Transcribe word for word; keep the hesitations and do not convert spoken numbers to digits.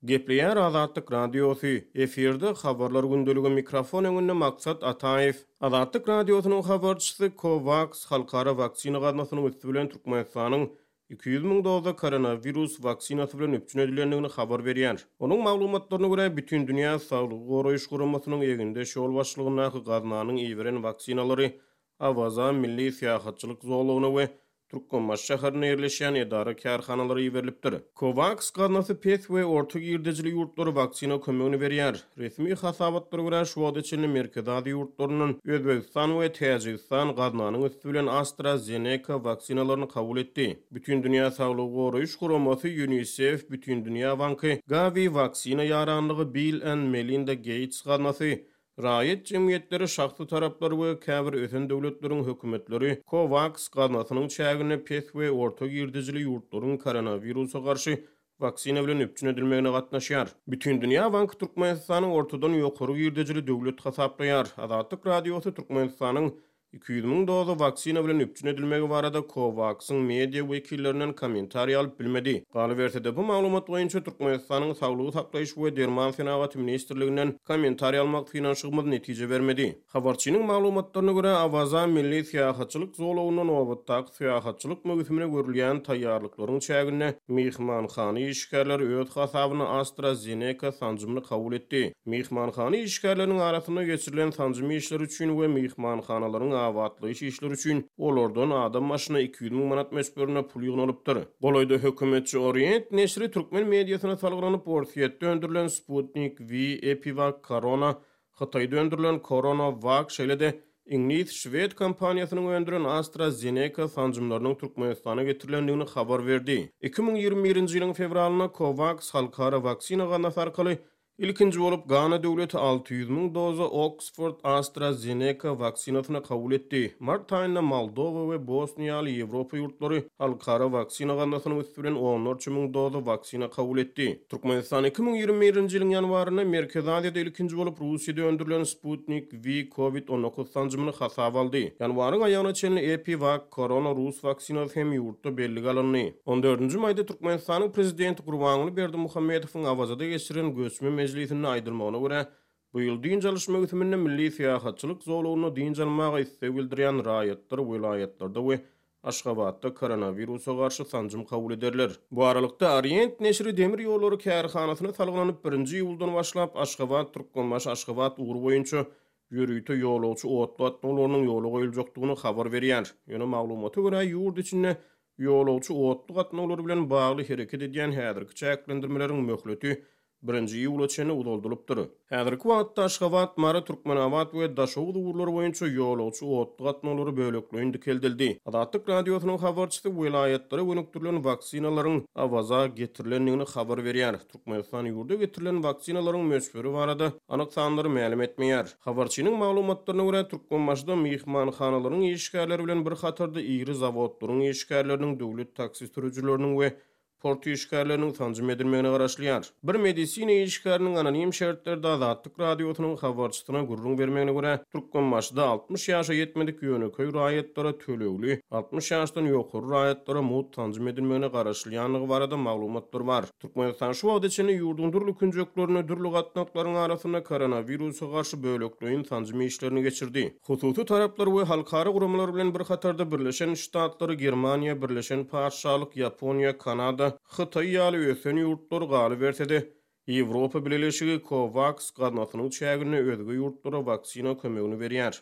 Gepleýär Azatlyk Radiosy, efirde Habarlar gündeligi, mikrofon öňünde Maksat Ataýew. Azatlyk Radiosynyň habarçysy COVAX halkara waksina gaznasynyň üsti bilen Türkmenistanyň iki ýüz müň doza koronawirus waksinasy bilen üpjün edilendigini habar berýär. Onuň maglumatlaryna görä, Bütindünýä Saglygy Goraýyş Guramasynyň egindeş ýolbaşçylygyndaky gaznanyň iberen waksinalary Awaza milli syýahatçylyk zolagyna we Türkmenbaşy şäherinde ýerleşýän edara-kärhanalara iberilipdir. COVAX gaznasy pes we orta girdejili ýurtlara waksina kömegini berýär. Resmi hasabatlara görä, şu wagta çenli Merkezi Aziýa ýurtlaryndan Özbegistan we Täjigistan gaznanyň üsti bilen AstraZeneca waksinalaryny kabul etdi. Bütindünýä Saglygy Goraýyş Guramasy, UNICEF, Bütindünýä Banky, Gavi waksina ýaranlygy, Bill and Melinda Gates gaznasy, raýat jemgyýetleri, şahsy taraplar we käbir ösen döwletleriň hökümetleri COVAX gaznasynyň çäginde pes we orta girdejili ýurtlaryň koronawirusa garşy waksina bilen üpjün edilmegine gatnaşýar. Bütindünýä Banky Türkmenistany ortadan ýokary girdejili döwlet hasaplaýar. Azatlyk Radiosy Türkmenistanyň iki ýüz müň doza waksina bilen üpjün edilmegi barada COVAX-yň media wekillerinden kommentariý alyp bilmedi. Galyberse-de, bu maglumat boýunça Türkmenistanyň Saglygy saklaýyş we derman senagaty ministrliginden kommentariý almak synanyşygymyz netije bermedi. Habarçynyň maglumatlaryna görä, Awaza milli syýahatçylyk zolagynda nobatdaky syýahatçylyk möwsümine görülýän taýýarlyklaryň çäginde myhmanhana işgärleri öz hasabyna AstraZeneca sanjymyny kabul etdi. Myhmanhana işgärleriniň arasynda geçirilen sanjym işleri üçin we myhmanhanalaryň abatlaýyş işleri üçin olardan adam başyna iki ýüz müň manat möçberinde pul ýygnalypdyr. Golaýda hökümetçi Orient neşiri türkmen mediasyna salgylanyp, Orsýetde öndürilen Sputnik V, EpiVac, Corona, Hytaýda öndürilen CoronaVac, şeýle-de iňlis-şwed kompaniýasynyň öndüren AstraZeneca sanjymlarynyň Türkmenistana getirilendigini habar berdi. Iki müň ýigrimi birinji ýylyň fewralynda COVAX halkara waksina gaznasy arkaly ilkinji bolup Gana döwleti alty ýüz müň doza Oxford AstraZeneca waksinasyny kabul etdi. Mart aýynda Moldowa we Bosniýa ýaly Ýewropa ýurtlary halkara waksina gaznasynyň üsti bilen onlarça müň doza waksina kabul etdi. Türkmenistan iki müň ýigrimi birinji ýylyň ýanwarynda Merkezi Aziýada ilkinji bolup Russiýada öndürilen Sputnik V COVID on dokuz sanjymyny hasaba aldy. Ýanwaryň aýagyna çenli EpiVac Corona rus waksinasy hem ýurtda bellige alyndy. On dördünji maýda Türkmenistanyň Prezidenti Gurbanguly Berdimuhamedowyň Awazada geçiren göçme mejlisinde aýdylmagyna görä, bu ýyl dynç alyş möwsüminde milli syýahatçylyk zolagynda dynç almaga isleg bildirýän raýatlar welaýatlarda we Aşgabatda koronawirusa garşy sanjym kabul ederler. Bu aralykda Orient neşiri demir ýollary kärhanasyna salgylanyp birinji iýuldan başlap Aşgabat, Türkmenbaşy, Aşgabat ugry boýunça ýörite ýolagçy otly gatnawlarynyň ýola goýuljakdygyny habar berýär. Ýöne maglumata görä ýurt içinde ýolagçy otly gatnawlary bilen bagly hereket edýän häzirki çäklendirmeleriň möhleti birinji iýula çenli uzaldylypdyr. Häzirki wagtda Aşgabat, Mary, Türkmenabat we Daşoguz ugurlary boýunça ýolagçy otly gatnawlary bölekleýin dikeldildi. Azatlyk Radiosynyň habarçysy welaýatlara gönükdirilen waksinalaryň Awaza getirilendigini habar berýär. Türkmenistan ýurda getirilen waksinalaryň möçberi barada anyk sanlary mälim etmeýär. Habarçynyň maglumatlaryna görä, Türkmenbaşyda myhmanhanalaryň işgärleri bilen bir hatarda iri zawodlaryň işgärleriniň, döwlet taksi sürüjileriniň we port işgärleriniň sanjym edilmegine garaşylýar. Bir medisina işgäriniň anonim şertlerde Azatlyk Radiosynyň habarçysyna gürrüň bermegine görä, Türkmenbaşyda altmyş ýaşa ýetmedik ýönekeý raýatlara tölegli, altmyş ýaşdan ýokary raýatlara mugt sanjym edilmegine garaşylýandygy barada maglumatlar bar. Türkmenistan şu wagta çenli ýurduň dürli künjeklerinde dürli gatnaklaryň arasynda koronawirusa garşy bölekleýin sanjym işlerini geçirdi. Hususy taraplar we halkara guramalar bilen bir hatarda Birleşen Ştatlary, Germaniýa, Birleşen Patyşalyk, Ýaponiýa, Kanada, Hytaý ýaly ösen ýurtlar galyberse-de, Ýewropa Bileleşigi COVAX gaznasynyň çäginde özge ýurtlara waksina kömegini berýär.